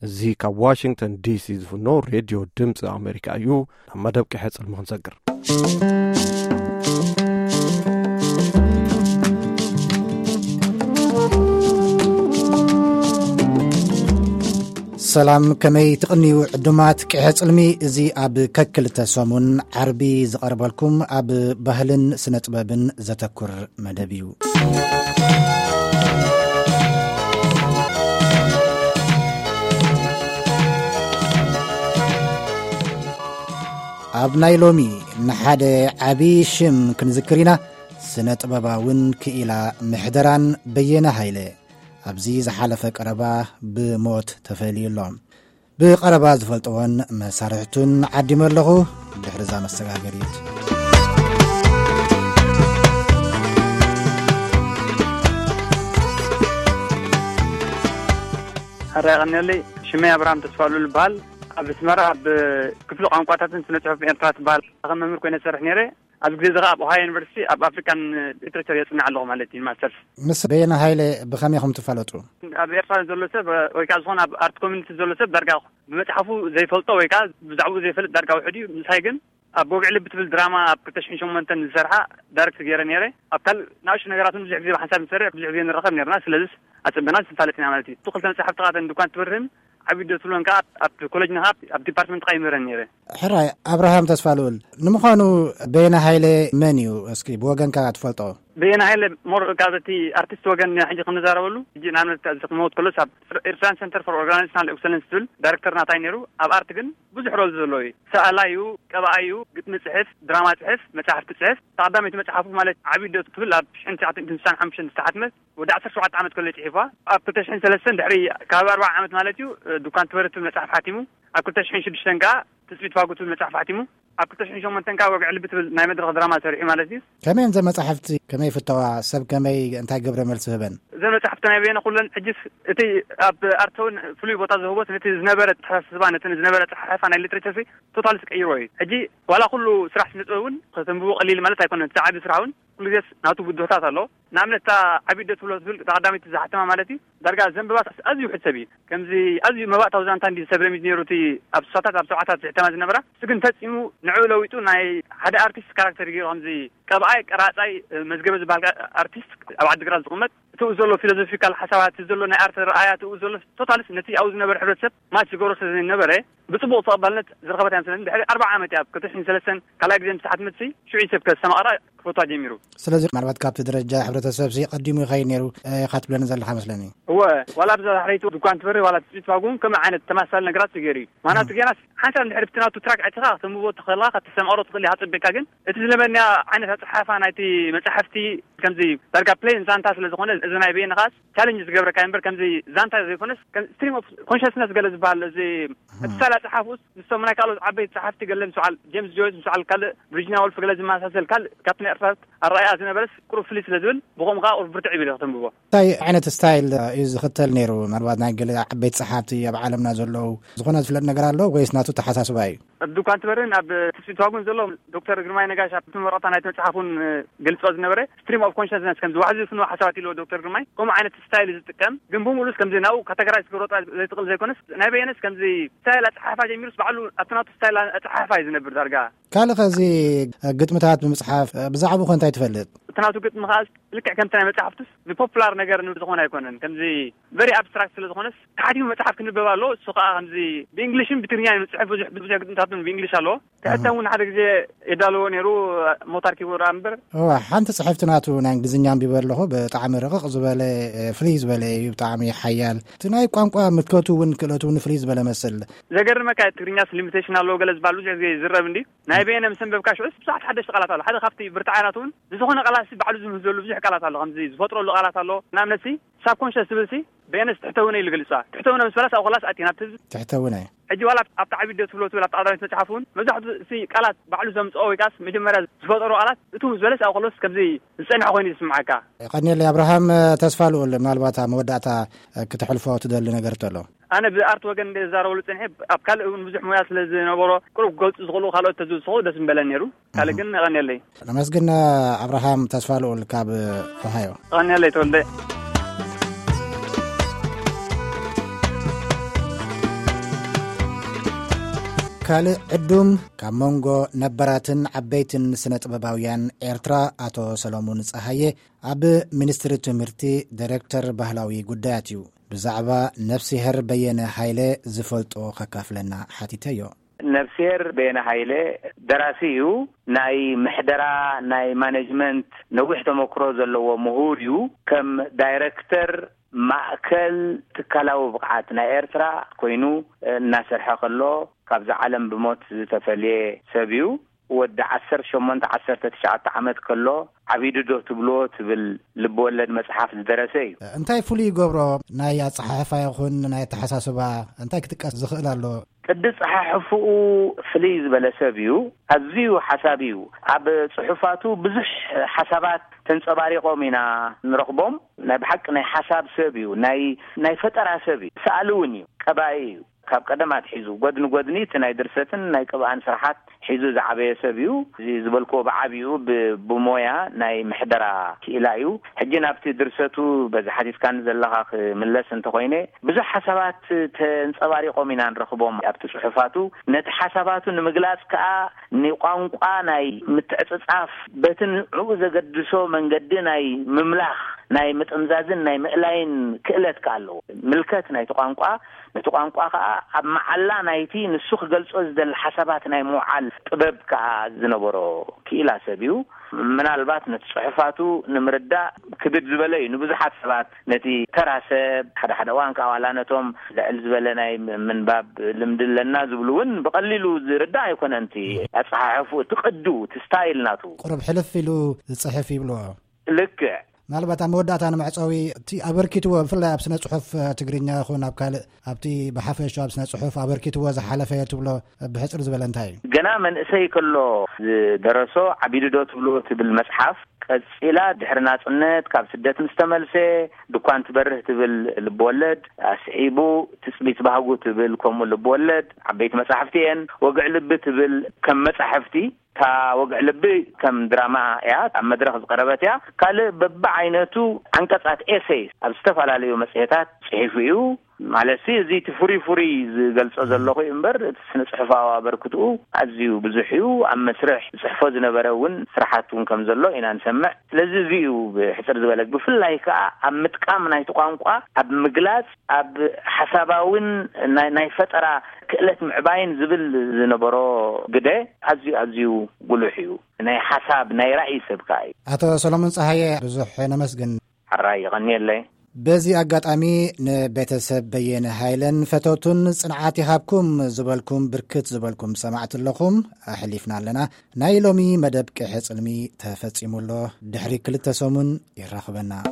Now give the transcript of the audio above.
እዚ ካብ ዋሽንግተን ዲሲ ዝፍኖ ሬድዮ ድምፂ ኣሜሪካ እዩ። ናብ መደብ ቅሐ ጽልሚ ክንሰግር። ሰላም፣ ከመይ ትቕንዩ ዕዱማት ቅሐ ጽልሚ? እዚ ኣብ ከክልተ ሰሙን ዓርቢ ዝቐርበልኩም ኣብ ባህልን ስነ ጥበብን ዘተኩር መደብ እዩ። ኣብ ናይ ሎሚ ንሓደ ዓቢ ሽም ክንዝክር ኢና። ስነ ጥበባውን ክኢላ ምሕደራን በየነ ሃይለ ኣብዚ ዝሓለፈ ቀረባ ብሞት ተፈልዩ ኣሎ። ብቐረባ ዝፈልጥዎን መሳርሕቱን ዓዲመ ኣለኹ። ድሕሪ እዛ መሰጋገሪት። ሕራይ ቀንየለይ። ሽመይ ኣብርሃም ተስፋሉ ይበሃል። ኣብ ኣስመራ ኣብ ክፍሊ ቋንቋታትን ስነ ጽሑፍ ኤርትራ ትበሃል ከም መምህር ኮይነ ዝሰርሕ ነይረ። ኣብዚ ግዜ እዚ ኸኣ ኣብ ኦሃዮ ዩኒቨርሲቲ ኣብ ኣፍሪካን ሊትሬቸር የጽንዕ ኣለኹ ማለት እዩ፣ ማስተርስ። ምስ በየነ ሃይለ ብኸመይ ኢኹም ትፋለጡ? ኣብ ኤርትራ ዘሎ ሰብ ወይ ከዓ ዝኾነ ኣብ ኣርት ኮሚኒቲ ዘሎ ሰብ ዳርጋ ብመጽሓፉ ዘይፈልጦ ወይ ከዓ ብዛዕባኡ ዘይፈልጥ ዳርጋ ውሑድ እዩ። ምሳይ ግን ኣብ ወግዒ ልቢ ትብል ድራማ ኣብ ክልተ ሽሕን ሸሞንተን ዝሰርሓ ዳይሬክት ገይረ ነይረ። ኣብ ካልእ ንኣሽቱ ነገራት እውን ብዙሕ ግዜ ብሓንሳብ ንሰርሕ፣ ብዙሕ ግዜ ንራኸብ ነርና። ስለዚስ ኣጸቢቕና ንፋለጥ ኢና ማለት እዩ። እቱ ክልተ መጻሕፍቲ ኻተን ድኳን ትበርህን ዓቢ ዶ ትብሎን ከኣ ኣብቲ ኮሌጅ ንኻ ኣብ ዲፓርትመንት ካ ይምህረን ነይረ። ሕራይ ኣብርሃም ተስፋ ልኡል፣ ንምዃኑ በየነ ሃይለ መን እዩ? እስኪ ብወገንካ ትፈልጦ። በየነ ሃይለ ሞር ካብ እቲ ኣርቲስት ወገን ሕጂ ክንዛረበሉ፣ ሕጂ ንኣብነት እዚ ክመውት ከሎስ ኣብ ኤርትራን ሰንተር ፎር ኦርጋናይዜሽናል ኤክሰለንስ ትብል ዳይሬክተር ናታይ ነይሩ። ኣብ ኣርት ግን ብዙሕ ሮል ዘለዎ እዩ። ሰኣላይ እዩ፣ ቀባኣይ እዩ፣ ግጥሚ ጽሕፍ፣ ድራማ ጽሕፍ፣ መጻሕፍቲ ጽሕፍ። ተቐዳመይቲ መጽሓፉ ማለት ዓቢ ዶ ትብል ኣብ ሽሕን ትሽዓተ ሚእትን ስሳን ሓሙሽተን ዝተሓትመት ወዲ ዓሰርተ ሸውዓተ ዓመት ከሎ ጽሒፋ። ኣብ ክልተ ሽሕን ሰለስተን ድሕሪ ካብ ኣርባዓ ዓመት ማለት እዩ፣ እ፣ ድኳን ትበርህ ትብል መጽሓፍ ሓቲሙ። ኣብ ክልተ ሽሕን ሽዱሽተን ከኣ ትጽቢት ፋጉ ትብል መጽሓፍ ሓቲሙ። ኣብ ክልተ ሽሕን ሸሞንተን ከኣ ወግዒ ልቢ ትብል ናይ መድረኽ ድራማ ሰሪሑ ማለት እዩ። ከመይ እየን ዘን መጻሕፍቲ? ከመይ ይፍተዋ? ሰብ ከመይ እንታይ ግብረ መልሲ ህበን? እዘን መጻሕፍቲ ናይ በየነ ኩለን ሕጂስ እቲ ኣብ ኣርተውን ፍሉይ ቦታ ዝህቦስ ነቲ ዝነበረ ኣተሓሳስባ፣ ነቲ ዝነበረ ኣጸሓሕፋ ናይ ሊትሬቸር ሲ ቶታል ዝቀይሮ እዩ። ሕጂ ዋላ ኩሉ ስራሕ ስነ ጥበብ እውን ከተንብቦ ቀሊል ማለት ኣይኮነን። እቲ ዓቢ ስራሕ እውን ኩሉ ግዜስ ናቱ ብድሆታት ኣሎ። ንኣብነት እታ ዓቢ ዶ ትብሎ ትብል እታ ቀዳመይቲ ዝሓተማ ማለት እዩ። ዳርጋ ዘንብባ ኣዝዩ ውሑድ ሰብ እዩ። ከምዚ ኣዝዩ መባእታዊ ዛንታ እንዲ ሰብ ረሚዝ ነይሩ እቲ ኣብ ስሳታት ኣብ ሰብዓታት ዝሕተማ ዝነበራ። እሱ ግን ፈጺሙ ንዕኡ ለዊጡ ናይ ሓደ ኣርቲስት ካራክተር ገይሩ ከምዚ ቀብኣይ፣ ቀራጻይ፣ መዝገበ ዝበሃል ኣርቲስት ኣብ ዓዲግራት ዝቕመጥ እቲኡ ዘሎ ፊሎዞፊካል ሓሳባት፣ እቲ ዘሎ ናይ ኣርት ረኣያ፣ እቲኡ ዘሎ ቶታልስ ነቲ ኣብኡ ዝነበረ ሕብረተሰብ ማች ዝገብሮ ስለ ዘይነበረ ብጽቡቕ ተቐባልነት ዝረኸበት እያ መስለኒ። ድሕሪ ኣርባዓ ዓመት እያ ኣብ ክልተ ሽሕን ሰለስተን ካልኣይ ግዜ ምስ ተሓትመትሲ ሽዑ እዩ ሰብ ከስተማቕራ ክፈትዋ ጀሚሩ። ስለዚ ምናልባት ካብቲ ደረጃ ሕብረተሰብ ሲ ቀዲሙ ይኸይድ ነይሩ፣ እ፣ ኢኻ ትብለኒ ዘለኻ መስለኒ። እወ፣ ዋላ ኣብዛ ዳሕረይቲ ድኳን ትበርህ ዋላ ትጽቢት ፋጉ እውን ከምኡ ዓይነት ተመሳሳሊ ነገራት እዩ ገይሩ እዩ። ምኽንያቱ እም። ገና ሓንሳብ እንድሕር ብቲ ናቱ ትራክ ዕቲኻ ከተንብቦ ትኽእልኻ፣ ከተስተማቕሮ ትኽእል ኢኻ ጸቢቕካ፣ ግን እቲ ዝነበረና ዓይነት ኣጸሓሕፋ ናይቲ መጻሕፍቲ ከምዚ ዳርጋ ፕሌን ዛንታ ስለ ዝኾነ፣ እዚ ናይ በየነ ኸኣስ ቻሌንጅ ዝገብረካ እምበር ከምዚ ዛንታ ዘይኮነስ ከም ስትሪም ኦፍ ኮንሽስነስ ገለ ዝበሃል እዚ እቲ ሳላ ጸሓፍኡስ ምስቶም ናይ ካልኦት ዓበይቲ ጸሓፍቲ ገለ ምስ በዓል ጄምስ ጆይስ ምስ በዓል ካልእ ቪርጂኒያ ወልፍ ገለ ዝመሳሰል ካልእ ካብቲ ናይ ኤርትራታት ኣረኣእያ ዝነበረስ ቁሩብ ፍልይ ስለ ዝብል ብኸምኡ ከኣ ቁሩብ ብርትዕ ይብል ከተንብቦ። እንታይ ዓይነት ስታይል እዩ ዝኽተል ነይሩ? ምናልባት ናይ ገለ ዓበይቲ ጸሓፍቲ ኣብ ዓለምና ዘለዉ ዝኾነ ዝፍለጥ ነገር ኣሎ ወይስ ናቱ ተሓሳስባ እዩ? ኣብ ድኳን ትበርን ኣብ ትስፊት ዋጉን ዘሎ ዶክተር ግርማይ ነጋሽ ኣብቲ መረቕታ ናይቲ መጽሓፍ እውን ገልጾ ዝነበረ ስትሪም ኦፍ ኮንሽስነስ ከምዚ ዋሕዚ ዝፍንዎ ሓሳባት ኢልዎ ዶክተር ግርማይ ከምኡ ዓይነት ስታይል እዩ ዝጥቀም። ግን ብምሉስ ከምዚ ናብኡ ካተጎራይዝ ክገብሮ ጥራይ ዘይትኽእል ዘይኮነስ ናይ በየነስ ከምዚ ስታይል ኣጸሓሕፋ ጀሚሩስ ባዕሉ ኣብቲ ናቱ ስታይል ኣጸሓሕፋ እዩ ዝነብር ዳርጋ። ካልእ ኸዚ ግጥምታት ብምጽሓፍ ብዛዕባኡ ኸ እንታይ ትፈልጥ? እቲ ናቱ ግጥሚ ኸኣ ልክዕ ከምቲ ናይ መጽሓፍቱስ ንፖፑላር ነገር ንዝኾነ ኣይኮነን። ከምዚ ቨሪ ኣብስትራክት ስለ ዝኾነስ ተሓቲሙ መጽሓፍ ክንበብ ኣሎ። እሱ ኸኣ ከምዚ ብእንግሊሽን ብትግርኛን እዩ ዝጽሕፍ። ብዙሕ፣ ብዙሕ ግጥምታቱን ብእንግሊሽ ኣለዎ። ክሕተም እውን ሓደ ግዜ የዳልዎ ነይሩ፣ ሞታር ኪቦርድ እምበር። እዋ፣ ሓንቲ ጽሕፍቲ ናቱ ናይ እንግሊዝኛ ኣንቢበ ኣለኹ። ብጣዕሚ ረቕቕ ዝበለ፣ ፍልይ ዝበለ እዩ። ብጣዕሚ ሓያል። እቲ ናይ ቋንቋ ምልከቱ እውን ክእለቱ እውን ፍልይ ዝበለ መስል። ዘገርመካ ትግርኛስ ሊሚቴሽን ኣለዎ ገለ ዝበሃል ብዙሕ ግዜ ይዝረብ እንዲ። ናይ በየነ ምስ ኣንበብካ ሽዑስ ብዙሓት ሓደሽቲ ቃላት ኣሎ። ሓደ ካብቲ ብርትዓያናት እውን ንዝኾነ ቃላት ሲ ባዕሉ ዝምህዘሉ ብዙሕ ቃላት ኣሎ። ከምዚ ዝፈጥረሉ ቃላት ኣሎ። ንኣብነት ሲ ሳብኮንሽስ ዝብል ሲ በየነስ ትሕተውነ ኢሉ ገልጻ። ትሕተውነ ምስ በላስ ኣብ ኸላስ ኣቲና ትዝ ትሕተውነ። ሕጂ ዋላ ኣብቲ ዓቢ ዶ ትብሎ ትብል ኣብቲ ቀዳመይቲ መጽሓፍ እውን መብዛሕትኡ ሲ ቃላት ባዕሉ ዘምጽኦ ወይ ከኣስ መጀመርያ ዝፈጠሮ ቃላት እቱ ምስ በለስ ኣብ ኸሎስ ከምዚ ዝጸንሐ ኮይኑ ይስምዓካ። ቀኒለይ ኣብርሃም ተስፋ ልኡል፣ ምናልባት ኣብ መወዳእታ ክተሕልፎ ትደሊ ነገር ተሎ? ኣነ ብኣርት ወገን እንደ ዝዛረበሉ ጸኒሐ ኣብ ካልእ እውን ብዙሕ ሞያ ስለ ዝነበሮ ቁሩብ ክገልጹ ዝኽእሉ ካልኦት ተዝውስኹ ደስ ምበለን ነይሩ። ካልእ ግን ቀኒለይ። ነመስግን ኣብርሃም ተስፋ ልኡል ካብ ኦሃዮ። ቀኒለይ ተወልደ። ካልእ ዕዱም ካብ መንጎ ነበራትን ዓበይትን ስነ ጥበባውያን ኤርትራ ኣቶ ሰሎሙን ጸሃየ ኣብ ሚኒስትሪ ትምህርቲ ዳይሬክተር ባህላዊ ጉዳያት እዩ። ብዛዕባ ነፍሲሄር በየነ ሃይለ ዝፈልጦ ከካፍለና ሓቲተዮ። ነፍሲሄር በየነ ሃይለ ደራሲ እዩ። ናይ ምሕደራ፣ ናይ ማኔጅመንት ነዊሕ ተመክሮ ዘለዎ ምሁር እዩ። ከም ዳይሬክተር ማእከል ትካላዊ ብቕዓት ናይ ኤርትራ ኮይኑ እናሰርሐ ከሎ፣ ካብዛ ዓለም ብሞት ዝተፈልየ ሰብ እዩ። ወዲ ዓሰርተ ሸሞንተ ዓሰርተ ትሽዓተ ዓመት ከሎ፣ ዓቢዱ ዶ ትብልዎ ትብል ልብወለድ መጽሓፍ ዝደረሰ እዩ። እንታይ ፍሉይ ይገብሮ? ናይ ኣጸሓሕፋ ይኹን ናይ ኣተሓሳስባ እንታይ ክጥቀስ ዝኽእል ኣሎ? ቅዲ ጸሓሕፍኡ ፍልይ ዝበለ ሰብ እዩ። ኣዝዩ ሓሳብ እዩ። ኣብ ጽሑፋቱ ብዙሕ ሓሳባት ተንጸባሪቖም ኢና ንረኽቦም። ናይ ብሓቂ ናይ ሓሳብ ሰብ እዩ። ናይ፣ ናይ ፈጠራ ሰብ እዩ። ሰኣሊ እውን እዩ። ቀባኢ እዩ። ካብ ቀደም ኣትሒዙ፣ ጎድኒ ጎድኒ እቲ ናይ ድርሰትን ናይ ቅብኣን ስራሓት ሒዙ ዝዓበየ ሰብ እዩ። እዚ ዝበልክዎ ብዓቢኡ ብ-፣ ብሞያ ናይ ምሕደራ ክኢላ እዩ። ሕጂ ናብቲ ድርሰቱ በዚ ሓቲትካኒ ዘለኻ ክምለስ እንተኾይነ፣ ብዙሕ ሓሳባት ተንጸባሪቖም ኢና ንረኽቦም ኣብቲ ጽሑፋቱ። ነቲ ሓሳባቱ ንምግላጽ ከኣ ንቋንቋ ናይ ምትዕጽጻፍ፣ በቲ ንዕኡ ዘገድሶ መንገዲ ናይ ምምላኽ፣ ናይ ምጥምዛዝን ናይ ምእላይን ክእለት ከኣ ኣለዎ። ምልከት ናይቲ ቋንቋ፣ ነቲ ቋንቋ ከኣ ኣብ መዓላ ናይቲ ንሱ ክገልጾ ዝደሊ ሓሳባት ናይ ምውዓል ጥበብ ከኣ ዝነበሮ ክኢላ ሰብ እዩ። ምናልባት ነቲ ጽሑፋቱ ንምርዳእ ክብድ ዝበለ እዩ ንብዙሓት ሰባት። ነቲ ተራ ሰብ፣ ሓደ ሓደ እዋን ከኣ ዋላ ነቶም ልዕል ዝበለ ናይ ም-፣ ምንባብ ልምዲ ኣለና ዝብሉ እውን ብቐሊሉ ዝርዳእ ኣይኮነን። እቲ ኣጸሓሕፍኡ፣ እቲ ቅዱ፣ እቲ ስታይል ናቱ። ቁሩብ ሕልፍ ኢሉ ዝጽሕፍ ይብልዎ። ልክዕ። ምናልባት ኣብ መወዳእታ ንመዕጸዊ፣ እቲ ኣበርኪትዎ፣ ብፍላይ ኣብ ስነ ጽሑፍ ትግርኛ ይኹን ኣብ ካልእ፣ ኣብቲ ብሓፈሻ ኣብ ስነ ጽሑፍ ኣበርኪትዎ ዝሓለፈ ትብሎ ብሕጽር ዝበለ እንታይ እዩ? ገና መንእሰይ ከሎ ዝደረሶ ዓቢዱ ዶ ትብልዎ ትብል መጽሓፍ፣ ቀጺላ ድሕሪ ናጽነት ካብ ስደት ምስ ተመልሰ፣ ድኳን ትበርህ ትብል ልብወለድ፣ ኣስዒቡ ትጽቢት ባህጉ ትብል ከምኡ ልብወለድ፣ ዓበይቲ መጻሕፍቲ እየን። ወግዒ ልቢ ትብል ከም መጻሕፍቲ፣ እታ ወግዒ ልቢ ከም ድራማ እያ፣ ኣብ መድረኽ ዝቐረበት እያ። ካልእ በብዓይነቱ ዓንቀጻት፣ ኤሴይስ፣ ኣብ ዝተፈላለዩ መጽሔታት ጽሒፉ እዩ። ማለትሲ፣ እዚ እቲ ፍሩይ ፍሩይ ዝገልጾ ዘለኹ እዩ እምበር፣ እቲ ስነ ጽሑፋዊ ኣበርክትኡ ኣዝዩ ብዙሕ እዩ። ኣብ መስርሕ ዝጽሕፎ ዝነበረ እውን ስራሓት እውን ከም ዘሎ ኢና ንሰምዕ። ስለዚ፣ እዚ እዩ ብሕጽር ዝበለ። ብፍላይ ከኣ ኣብ ምጥቃም ናይቲ ቋንቋ፣ ኣብ ምግላጽ፣ ኣብ ሓሳባውን ናይ፣ ናይ ፈጠራ ክእለት ምዕባይን ዝብል ዝነበሮ ግደ ኣዝዩ፣ ኣዝዩ ጉሉሕ እዩ። ናይ ሓሳብ፣ ናይ ራእይ ሰብ ከኣ እዩ። ኣቶ ሰሎሞን ጸሃየ፣ ብዙሕ ነመስግን። ሕራይ፣ ይቐንየለይ። በዚ ኣጋጣሚ ንቤተሰብ በየነ ሃይለን ፈተውቱን ጽንዓት ይሃብኩም ዝበልኩም ብርክት ዝበልኩም ሰማዕቲ ኣለኹም ኣሕሊፍና ኣለና። ናይ ሎሚ መደብ ቅሐ ጽልሚ ተፈጺሙ ኣሎ። ድሕሪ ክልተ ሰሙን ይራኽበና።